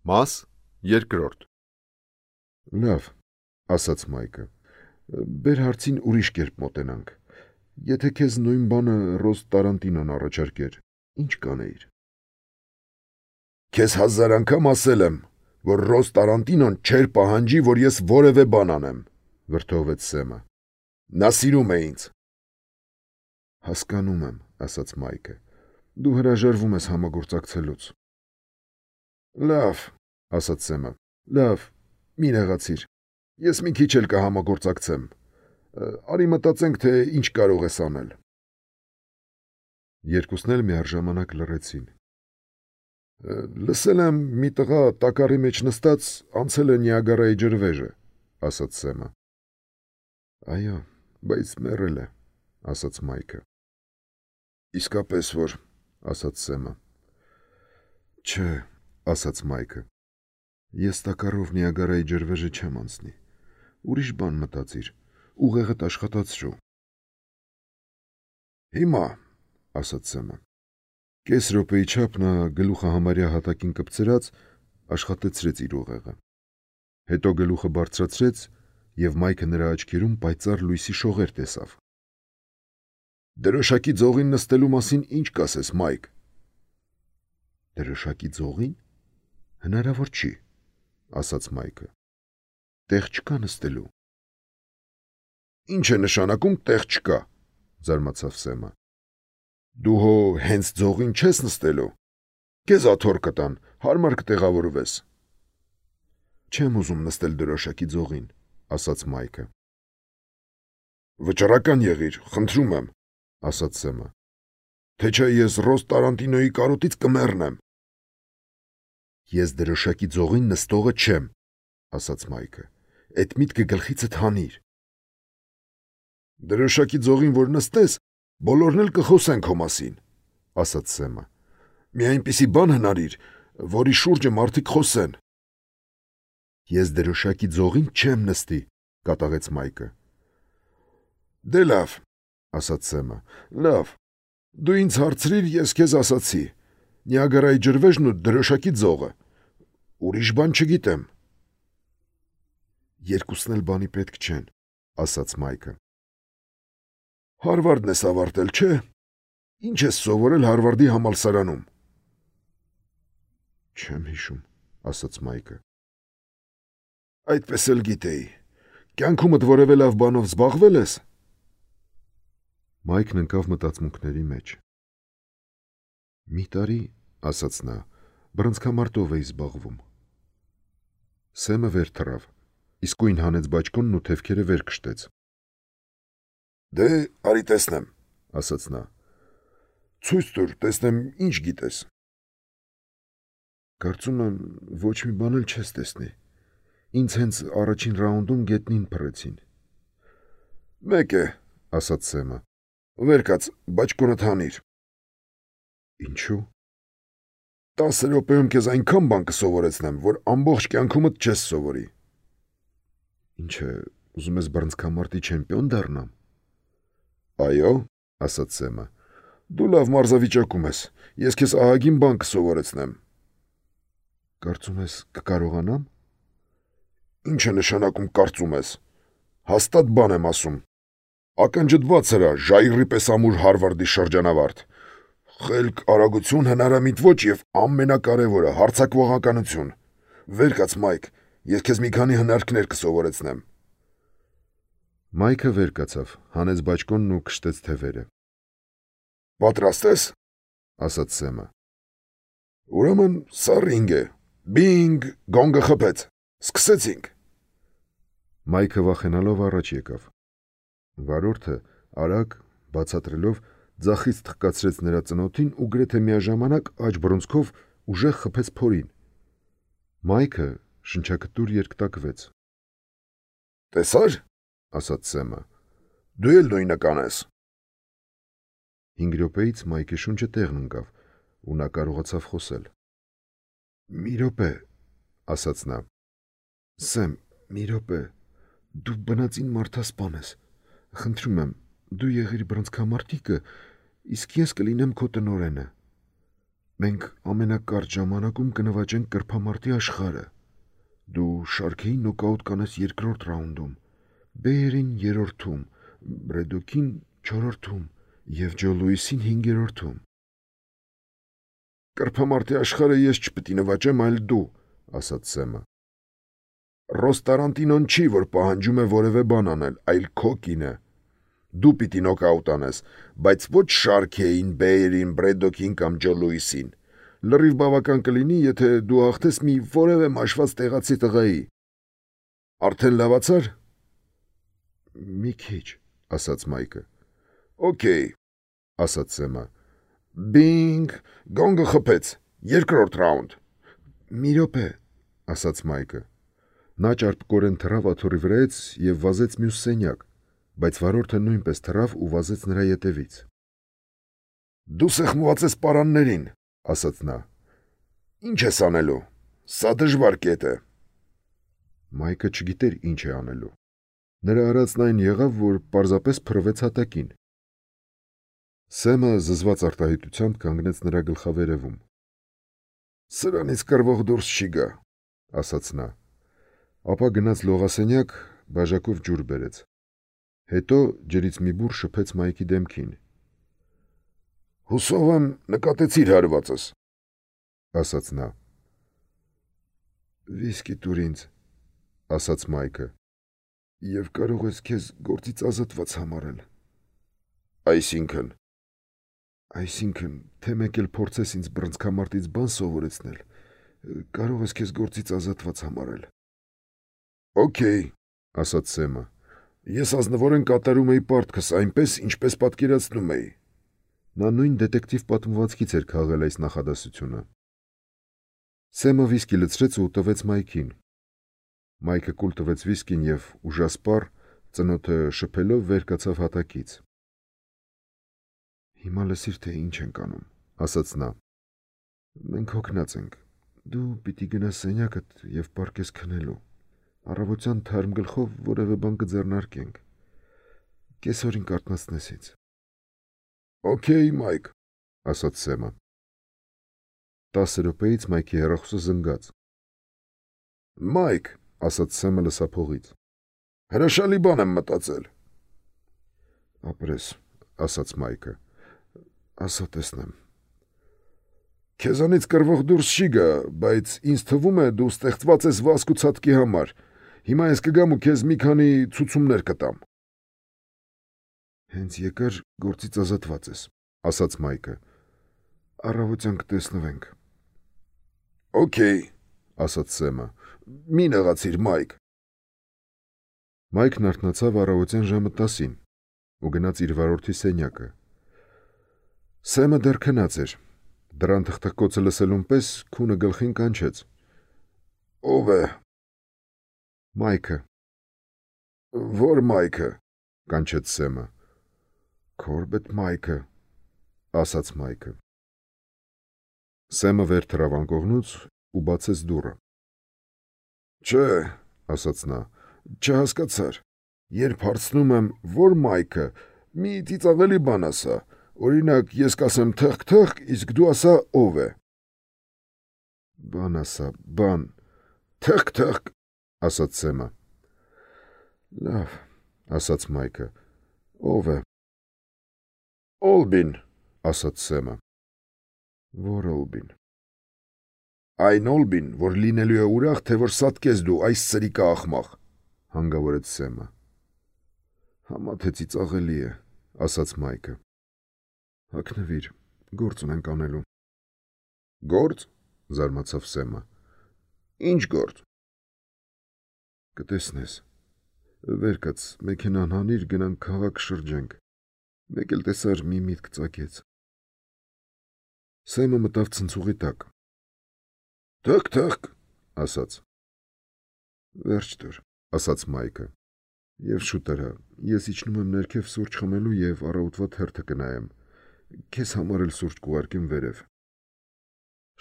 Մաս երկրորդ։ Լավ, ասաց Մայքը, բեր հարցին ուրիշ կերպ մոտենանք, եթե քեզ նույն բանը Ռոս Տարանտինոն առաջարկեր, ինչ կանեիր։ Քեզ 1000 անգամ ասել եմ, որ Ռոս Տարանտինոն չէր պահանջի, որ ես որևէ բան անեմ, վրդովեց Սեմը։ Նա սիրում է ինձ։ Հասկանում եմ, ասաց Մայքը, դու հրաժարվում ես համագործակցելուց։ Լավ, ասաց Սեմը, լավ, մի նեղացիր, ես մի քիչ էլ կհամագործակցեմ, արի մտածենք, թե ինչ կարող ես անել։ Երկուսն էլ միառժամանակ լռեցին։ Լսել եմ, մի տղա տակառի մեջ նստած անցել է Նիագարայի ջրվեժը, ասաց Սեմը։ Այո, բայց մեռել է, ասաց Մայքը։ Իսկապես որ, ասաց Սեմը։ Չէ, ասաց Մայքը։ Ես տակառով Նիագարայի ջրվեժը չեմ անցնի։ Ուրիշ բան մտածիր, ուղեղդ աշխատացրու։ Հիմա, ասաց Սեմը։ Կես րոպեի չափ նա գլուխը համարյա հատակին կպցրած աշխատեցրեց իր ուղեղը։ Հետո գլուխը բարձրացրեց եւ Մայքը նրա աչքերում պայծառ լույսի շողեր տեսավ։ Դրոշակի ձողին նստելու մասին ինչ կասես, Մայք։ Դրոշակի ձողին։ Հնարավոր չի, ասաց Մայքը։ Տեղ չկա նստելու։ Ինչ է նշանակում տեղ չկա, զարմացավ Սեմը։ Դու հո հենց ձողին չես նստելու։ Քեզ աթոռ կտան, հարմար կտեղավորվես։ Չեմ ուզում նստել դրոշակի ձողին, ասաց Մայքը։ Վճռական եղիր, խնդրում եմ, ասաց Սեմը։ Թե չէ ես Ռոս Տարանտինոյի կարոտից կմեռնեմ։ Ես դրոշակի ձողին նստողը չեմ, ասաց Մայքը։ Այդ միտքը գլխիցդ հանիր։ Դրոշակի ձողին որ նստես, բոլորն էլ կխոսեն քո մասին, ասաց Սեմը։ Մի այնպիսի բան հնարիր, որի շուրջը մարդիկ խոսեն։ Ես դրոշակի ձողին չեմ նստի, կատաղեց Մայքը։ Դե լավ, ասաց Սեմը, լավ, դու ինձ հարցրիր, ես քեզ ասացի, Նիագարայի ջրվեժն ու դրոշակի ձողը, ուրիշ բան չգիտեմ։ Երկուսն էլ բանի պետք չեն, ասաց Մայքը։ Հարվարդն ես ավարտել, չէ։ Ինչ ես սովորել Հարվարդի համալսարանում։ Չեմ հիշում, ասաց Մայքը։ Այդպես էլ գիտեի։ Կյանքումդ որևէ լավ բանով զբաղվել ես։ Մայքն ընկավ մտածմունքների մեջ։ Մի տարի, ասաց նա, բռնցքամարտով էի զբաղվում։ Սեմը վեր թռավ, իսկույն հանեց բաճկոնն ու թևքերը վեր քշտեց։ Դե, արի տեսնեմ, ասաց նա։ Ցույց տուր, տեսնեմ ինչ գիտես։ Կարծում եմ, ոչ մի բան էլ չես տեսնի։ Ինձ հենց առաջին ռաունդում գետնին փռեցին։ Մեկ է, ասաց Սեմը։ Վեր կաց, բաճկոնդ հանիր։ Ինչու։ 10 րոպեում քեզ այնքան բան կսովորեցնեմ, որ ամբողջ կյանքումդ չես սովորի։ Ինչ է, ուզում ես բռնցքամարտի չեմպիոն դառնամ։ Այո, ասաց Սեմը, դու լավ մարզավիճակում ես, ես քեզ ահագին բան կսովորեցնեմ։ Կարծում ես կկարողանամ։ Ինչ է նշանակում կարծում ես։ Հաստատ բան եմ ասում։ Ակնջդված հրա, ժայռի պես ամուր Հարվարդի շրջանավարտ։ Խելք, արագություն, հնարամիտ ոչ եւ ամենակարևորը հարձակվողականություն։ Վեր կաց, Մայք, ես քեզ մի քանի հնարքներ կսովորեցնեմ։ Մայքը վեր կացավ, հանեց բաճկոնն ու քշտեց թևերը։ Պատրաստ ես, ասաց Սեմը։ Ուրեմն սա ռինգ է։ Բինգ, գոնգը խփեց։ Սկսեցինք։ Մայքը վախենալով առաջ եկավ։ Վարորդը արագ բացատրելով ձախից թխկացրեց նրա ծնոտին ու գրեթե միաժամանակ աջ բռունցքով ուժեղ խփեց փորին։ Մայքը շնչակտուր երկտակվեց։ Տեսա՞ր, ասաց Սեմը։ Դու էլ նույնը կանես։ 5 րոպեից Մայքի շունչը տեղն ընկավ ու նա կարողացավ խոսել։ Մի րոպե, ասաց նա։ Սեմ, մի րոպե, դու բնածին մարդասպան ես։ Խնդրում եմ, դու եղիր բռնցքամարտիկը, իսկ ես կլինեմ քո տնօրենը։ Մենք ամենակարճ ժամանակում կնվաճենք կրփամարտի աշխարհը։ Դու Շարքեին նոկաուտ կանես երկրորդ ռաունդում, Բեյերին երրորդում, Բրեդոքին չորրորդում և Ջո Լուիսին հինգերորդում։ Կրփամարտի աշխարհը ես չպիտի նվաճեմ, այլ դու, ասաց Սեմը։ Ռոս Տարանտինոն չի, որ պահանջում է որևէ բան անել, այլ քո կինը։ Դու պիտի նոկաուտ անես, բայց ոչ Շարքեին, Բեյերին, Բրեդոքին կամ Ջո Լուիսին։ Լրիվ բավական կլինի, եթե դու հաղթես մի որևէ մաշված տեղացի տղայի։ Արդեն լավացար։ Մի քիչ, ասաց Մայքը։ Okay, ասաց Սեմը։ Բինգ, գոնգը խփեց։ Երկրորդ ռաունդ։ Մի րոպե, ասաց Մայքը։ Նա ճարպկորեն թռավ աթոռի վրայից և վազեց մյուս սենյակ, բայց վարորդը նույնպես թռավ ու վազեց նրա ետևից։ Դու սեղմված ես պարաններին, ասաց նա։ Ինչ ես անելու։ Սա դժվար կետ է։ Մայքը չգիտեր ինչ է անելու։ Նրա արածն այն եղավ, որ պարզապես փռվեց հատակին։ Սեմը զզված արտահայտությամբ կանգնեց նրա գլխավերևում։ Սրանից կռվող դուրս չի գա, ասաց նա։ Ապա գնաց լողասենյակ, բաժակով ջուր բերեց։ Հետո ջրից մի բուռ շփեց Մայքի դեմքին։ Հուսով եմ նկատեցիր հարվածս, ասաց նա։ Վիսկի տուր ինձ, ասաց Մայքը, և կարող ես քեզ գործից ազատված համարել։ Այսինքն, թե մեկ էլ փորձես ինձ բռնցքամարտից բան սովորեցնել, կարող ես քեզ գործից ազատված համարել։ Okay, ասաց Սեմը։ Ես ազնվորեն կատարում էի պարտքս այնպես, ինչպես պատկերացնում էի։ Նա նույն դետեկտիվ պատմվածքից էր քաղել այս նախադասությունը։ Սեմը վիսկի լցրեց ու տվեց Մայքին։ Մայքը կուլ տվեց վիսկին և ուժասպառ, ծնոտը շփելով վեր կացավ հատակից։ Հիմա լսիր, թե ինչ ենք անում, ասաց նա։ Մենք հոգնած ենք։ Դու պիտի գնաս սենյակդ և պառկես քնելու։ Առավոտյան թարմ գլխով որևէ բան կձեռնարկենք։ Կեսօրին կարթնացնես ինձ։ Okay, Մայք, ասաց Սեմը։ 10 րոպեից Մայքի հեռախոսը զնգաց։ Մայք, ասաց Սեմը լսափողից։ Հրաշալի բան եմ մտածել։ Ապրես, ասաց Մայքը։ Ասա տեսնեմ։ Քեզանից կռվող դուրս չի գա, բայց ինձ թվում է դու ստեղծված ես վազք ու ցատկի համար։ Հիմա ես կգամ ու քեզ մի քանի ցուցումներ կտամ։ Հենց եկար գործից ազատված ես, ասաց Մայքը։ Առավոտյան կտեսնվենք։ Okay, ասաց Սեմը։ Մի նեղացիր, Մայք։ Մայքն արթնացավ առավոտյան ժամը 10-ին ու գնաց իր վարորդի սենյակը։ Սեմը դեռ քնած էր։ Դրան թխթխկոցը լսելուն պես քունը գլխին կանչեց։ Ո՞վ է։ Մայքը։ Ո՞ր Մայքը։ Կանչեց Սեմը։ Քորբեթ Մայքը, ասաց Մայքը։ Սեմը վեր թռավ անկողնուց ու բացեց դուռը։ Չէ, ասաց նա, չհասկացար։ Երբ հարցնում եմ, ո՞ր Մայքը, մի ծիծաղելի բան ասա։ Օրինակ, ես կասեմ թխք, իսկ դու ասա ով է։ Բան ասա, բան։ Թխք, ասաց Սեմը։ Լավ, ասաց Մայքը։ Ով է։ Օլբին, ասաց Սեմը։ Որ Օլբին։ Այն Օլբին, որ լինելու է ուրախ, թե որ սատկես դու այս սրիկա աղմաղ, հանգավորեց Սեմը։ Համա թե ծիծաղելի է, ասաց Մայքը։ Հագնվիր, գործ ունենք անելու։ Գործ, զարմացավ Սեմը։ Ինչ գործ։ Կտեսնես։ Վեր կաց, մեքենան հանիր, գնանք քաղաք շրջենք։ Մեկ էլ տեսար մի միտք ծագեց։ Սեմը մտավ ցնցուղի տակ։ Թխք, ասաց։ Վերջ տուր, ասաց Մայքը։ Եվ շուտ արա, ես իջնում եմ ներքև սուրճ խմելու և առավոտվա թերթը կնայեմ։ Քեզ համար էլ սուրճ կուղարկեմ վերև։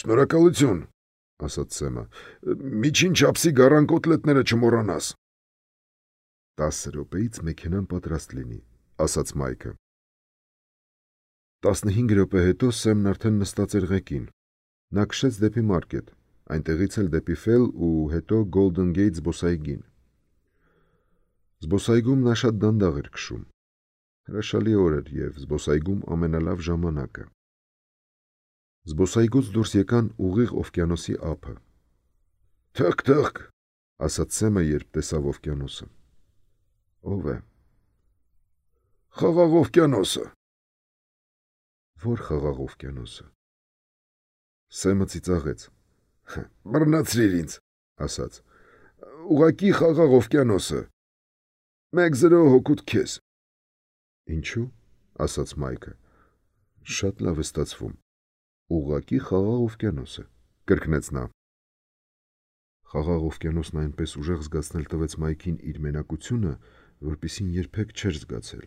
Շնորհակալություն, ասաց Սեմը։ Միջին չափսի գառան կոտլետները չմոռանաս։ 10 րոպեից մեքենան պատրաստ լինի, ասաց Մայքը։ 15 րոպե հետո Սեմն արդեն նստած էր ղեկին։ Նա քշեց դեպի մարքետ, այնտեղից էլ դեպի Ֆել ու հետո Golden Gate զբոսայգին։ Զբոսայգում նա շատ դանդաղ էր քշում։ Հրաշալի օր էր եւ զբոսայգում ամենալավ ժամանակը։ Զբոսայգուց դուրս եկան ուղիղ օվկիանոսի ափը։ «Թք-թք», ասաց Սեմը, երբ տեսավ օվկիանոսը։ Ո՞վ է։ «Խաղաղ օվկիանոսը»։ Ո՞ր խաղաղ օվկիանոսը։ Սեմը ծիծաղեց։ «Բռնացրիր ինձ», ասաց։ «Ուղղակի խաղաղ օվկիանոսը։ 1-0 հօգուտ քեզ»։ Ինչու՞, ասաց Մայքը։ Շատ լավ է ստացվում։ Ուղղակի խաղաղ օվկիանոսը, կրկնեց նա։ Խաղաղ օվկիանոսն այնպես ուժեղ զգացնել տվեց Մայքին իր մենակությունը, որպեսզի երբեք չէր զգացել։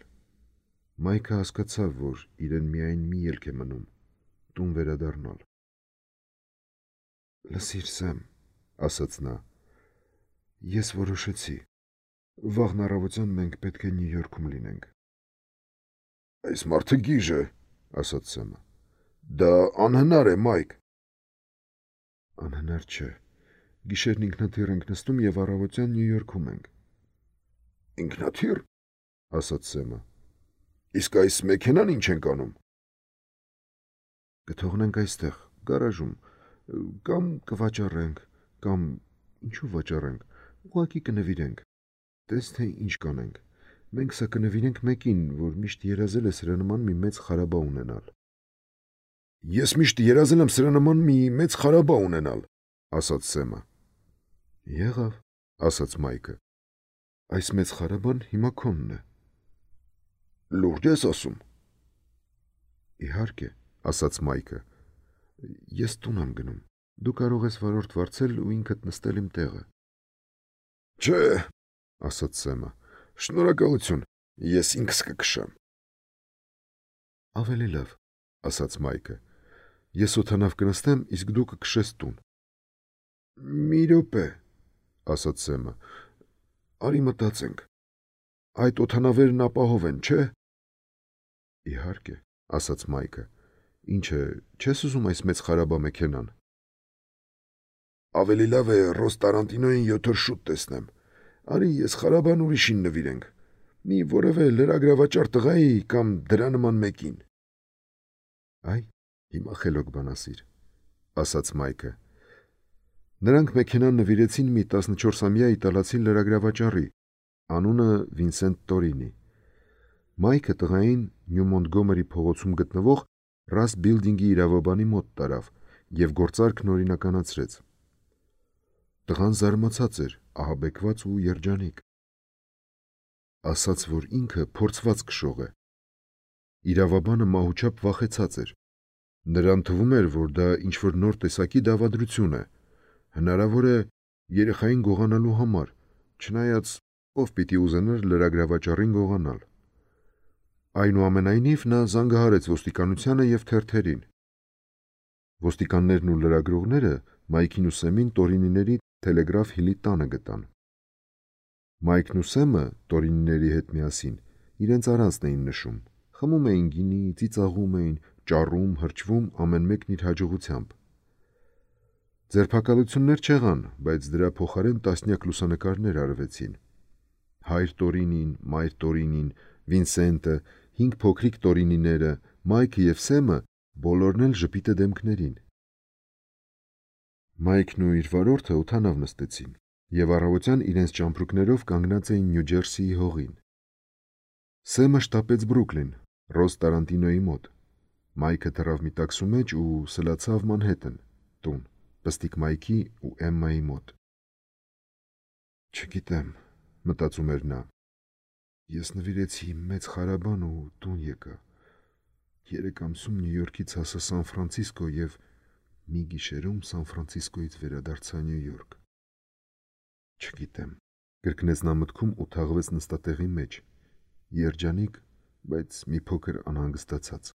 Մայքը հասկացավ, որ իրեն միայն մի ելք է մնում՝ տուն վերադառնալ։ Լսիր, Սեմ, ասաց նա, ես որոշեցի։ Վաղն առավոտյան մենք պետք է Նյու Յորքում լինենք։ «Այս մարդը գիժ է», ասաց Սեմը։ «Դա անհնար է, Մայք»։ Անհնար չէ։ Գիշերն ինքնաթիռ ենք նստում եւ առավոտյան Նյու Յորքում ենք։ «Ինքնաթիռ», ասաց Սեմը։ «Իսկ այս մեքենան ինչ ենք անում»։ Կթողնենք այստեղ, գարաժում, կամ կվաճառենք, կամ ինչու վաճառենք, ուղղակի կնվիրենք։ Տես թե ինչ կանենք։ Մենք սա կնվիրենք մեկին, որ միշտ երազել է սրա նման մի մեծ խարաբա ունենալ։ Ես միշտ երազել եմ սրա նման մի մեծ խարաբա ունենալ, ասաց Սեմը։ Եղավ, ասաց Մայքը։ Այս մեծ խարաբան հիմա քոնն է։ Լուրջ ես ասում։ Իհարկե, ասաց Մայքը։ Ես տուն եմ գնում։ Դու կարող ես վարորդ վարձել ու ինքդ նստել իմ տեղը։ Չէ, ասաց Սեմը։ Շնորհակալություն, ես ինքս կքշեմ։ Ավելի լավ, ասաց Մայքը։ Ես օդանավ կնստեմ, իսկ դու կքշես տուն։ Մի րոպե, ասաց Սեմը։ Արի մտածենք։ Այդ օդանավերն ապահով են, չէ։ Իհարկե, ասաց Մայքը։ Ինչ է, չես ուզում այս մեծ խարաբա մեքենան։ Ավելի լավ է Ռոս Տարանտինոյին 7 օր շուտ տեսնեմ։ Արի ես խարաբան ուրիշին նվիրենք։ Մի որևէ լրագրավաճառ տղայի կամ դրա նման մեկին։ Այ, հիմա խելոք բան ասիր, ասաց Մայքը։ Նրանք մեքենան նվիրեցին մի 14-ամյա իտալացի լրագրավաճառի, անունը Վինսենտ Տորինի։ Մայքը տղային Նյու Մոնտգոմերի փողոցում գտնվող Ռաս Բիլդինգի իրավաբանի մոտ տարավ եւ գործարքն օրինականացրեց։ Տղան զարմացած էր, ահաբեկված ու երջանիկ։ Ասաց, որ ինքը փորձված քշող է։ Իրավաբանը մահուչապ վախեցած էր։ Նրան թվում էր, որ դա ինչ-որ նոր տեսակի դավադրություն է։ Հնարավոր է երեխային գողանալու համար, չնայած ով պիտի ուզենար լրագրավաճառին գողանալ։ Այնուամենայնիվ նա զանգահարեց ոստիկանությանը եւ թերթերին։ Ոստիկաններն ու լրագրողները Մայքին ու Սեմին Տորինիների Թելեգրաֆ Հիլի տանը գտան։ Մայքն ու Սեմը Տորինիների հետ միասին իրենց առանցն էին նշում, խմում էին գինի, ծիծաղում էին, ճառում, հրճվում, ամեն մեկն իր հաջողությամբ։ Ձերբակալություններ չեղան, բայց դրա փոխարեն տասնյակ լուսանկարներ արվեցին։ Հայր Տորինին, մայր Տորինին, Վինսենտը, 5 փոքրիկ Տորինիները, Մայքը եւ Սեմը բոլորն էլ ժպիտը դեմքներին։ Մայքն ու իր վարորդը օդանավ նստեցին եւ առավոտյան իրենց ճամպրուկներով կանգնած էին Նյու Ջերսիի հողին։ Սեմը շտապեց Բրուքլին, Ռոս Տարանտինոյի մոտ։ Մայքը դրավ մի տաքսու մեջ ու սլացավ Մանհեթեն, տուն, Պստիկ Մայքի ու Էմմայի մոտ։ Չգիտեմ, մտածում էր նա։ Ես նվիրեցի մեծ խարաբան ու տուն եկա։ 3 ամսում Նյու Յորքից հասա Սան Ֆրանցիսկո եւ մի գիշերում Սան Ֆրանցիսկոից վերադարձա Նյու Յորք։ Չգիտեմ, կրկնեց նա մտքում ու թաղվեց նստատեղի մեջ, երջանիկ, բայց մի փոքր անհանգստացած։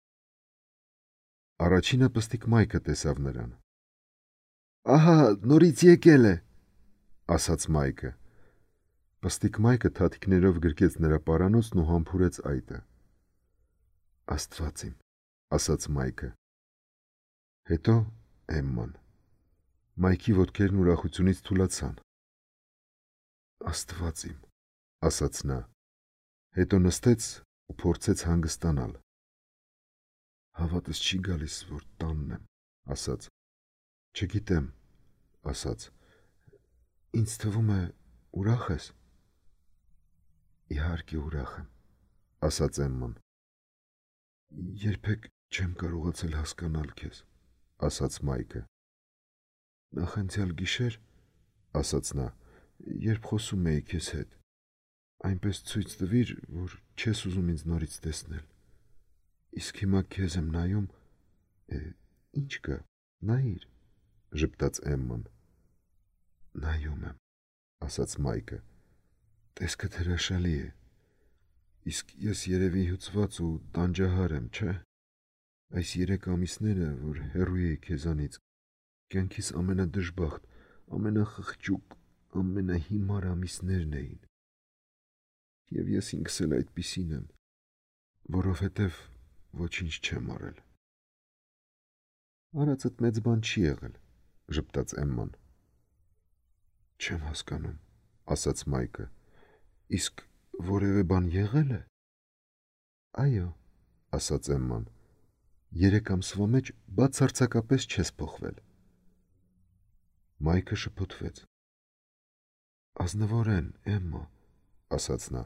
Առաջինը Պստիկ Մայքը տեսավ նրան։ Ահա, նորից եկել է, ասաց Մայքը։ Պստիկ Մայքը թաթիկներով գրկեց նրա պարանոցն ու համբուրեց այտը։ Աստված իմ, ասաց Մայքը։ Հետո Էմման։ Մայքի ոտքերն ուրախությունից թուլացան։ Աստված իմ, ասաց նա, հետո նստեց ու փորձեց հանգստանալ։ Հավատս չի գալիս, որ տանն եմ, ասաց։ Չգիտեմ, ասաց։ Ինձ թվում է ուրախ ես։ Իհարկե ուրախ եմ, ասաց Էմման։ Երբեք չեմ կարողացել հասկանալ քեզ, ասաց Մայքը։ Նախանցյալ գիշեր, ասաց նա, երբ խոսում էի քեզ հետ, այնպես ցույց տվիր, որ չես ուզում ինձ նորից տեսնել։ Իսկ հիմա քեզ եմ նայում, ինչ կա, նայիր, ժպտաց Էմման։ Նայում եմ, ասաց Մայքը։ Տեսքդ հրաշալի է։ Իսկ ես երևի հյուծված ու տանջահար եմ, չէ՞։ Այս 3 ամիսները, որ հեռու էի քեզանից, կյանքիս ամենադժբախտ, ամենախղճուկ, ամենահիմար ամիսներն էին։ Եվ ես ինքս էլ այդպիսին եմ, որովհետև ոչինչ չեմ արել։ Արածդ մեծ բան չի եղել, ժպտաց Էմման։ Չեմ հասկանում, ասաց Մայքը։ Իսկ որևէ բան եղել է։ Այո, ասաց Էմման։ 3 ամսվա մեջ բացարձակապես չես փոխվել։ Մայքը շփոթվեց։ Ազնվորեն, Էմմա, ասաց նա։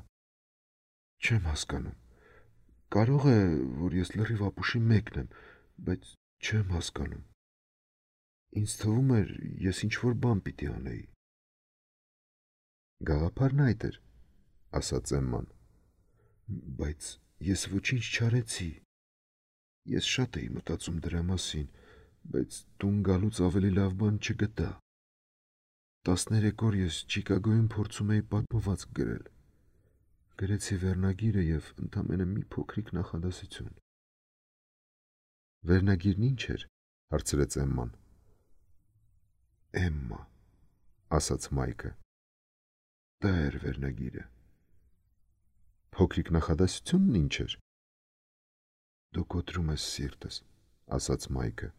Չեմ հասկանում։ Կարող է, որ ես լրիվ ապուշի մեկն եմ, բայց չեմ հասկանում։ Ինձ թվում էր, ես ինչ-որ բան պիտի անեի։ Գաղափարն այդ էր, ասաց Էմման։ Բայց ես ոչինչ չարեցի։ Ես շատ էի մտածում դրա մասին, բայց տուն գալուց ավելի լավ բան չգտա։ 13 օր ես Չիկագոյում փորձում էի պատմվածք գրել։ Գրեցի վերնագիրը և ընդամենը մի փոքրիկ նախադասություն։ Վերնագիրն ինչ էր, հարցրեց Էմման։ Էմմա, ասաց Մայքը։ Դա էր վերնագիրը։ Փոքրիկ նախադասությունն ինչ էր։ Դու կոտրում ես սիրտս, ասաց Մայքը։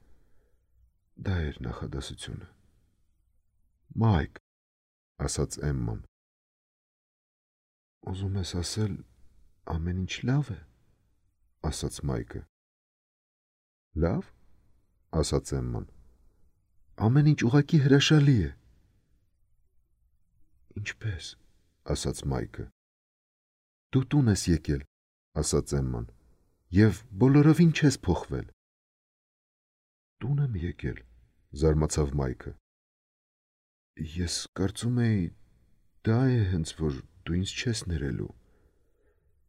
Դա էր նախադասությունը։ Մայք, ասաց Էմման։ Ուզում ես ասել, ամեն ինչ լավ է, ասաց Մայքը։ Լավ, ասաց Էմման։ Ամեն ինչ ուղղակի հրաշալի է։ Ինչպես, ասաց Մայքը։ Դու տուն ես եկել, ասաց Էմման, և բոլորովին չես փոխվել։ Տուն եմ եկել, զարմացավ Մայքը։ Ես կարծում էի, դա է հենց որ դու ինձ չես ներելու,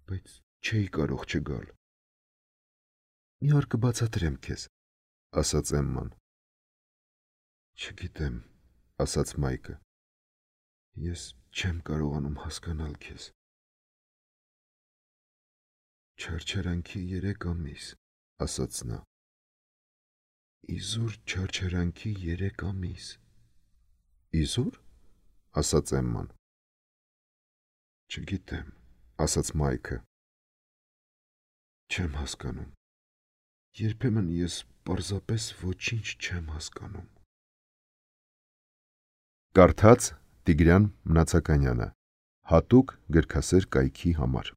բայց չէի կարող չգալ։ Մի օր կբացատրեմ քեզ, ասաց Էմման։ Չգիտեմ, ասաց Մայքը։ Ես չեմ կարողանում հասկանալ քեզ։ Չարչարանքի 3 ամիս, ասաց նա։ Իզուր չարչարանքի 3 ամիս։ Իզուր, ասաց Էմման։ Չգիտեմ, ասաց Մայքը։ Չեմ հասկանում։ Երբեմն ես պարզապես ոչինչ չեմ հասկանում։ Կարդաց Տիգրան Մնացականյանը, հատուկ գրքասեր կայքի համար։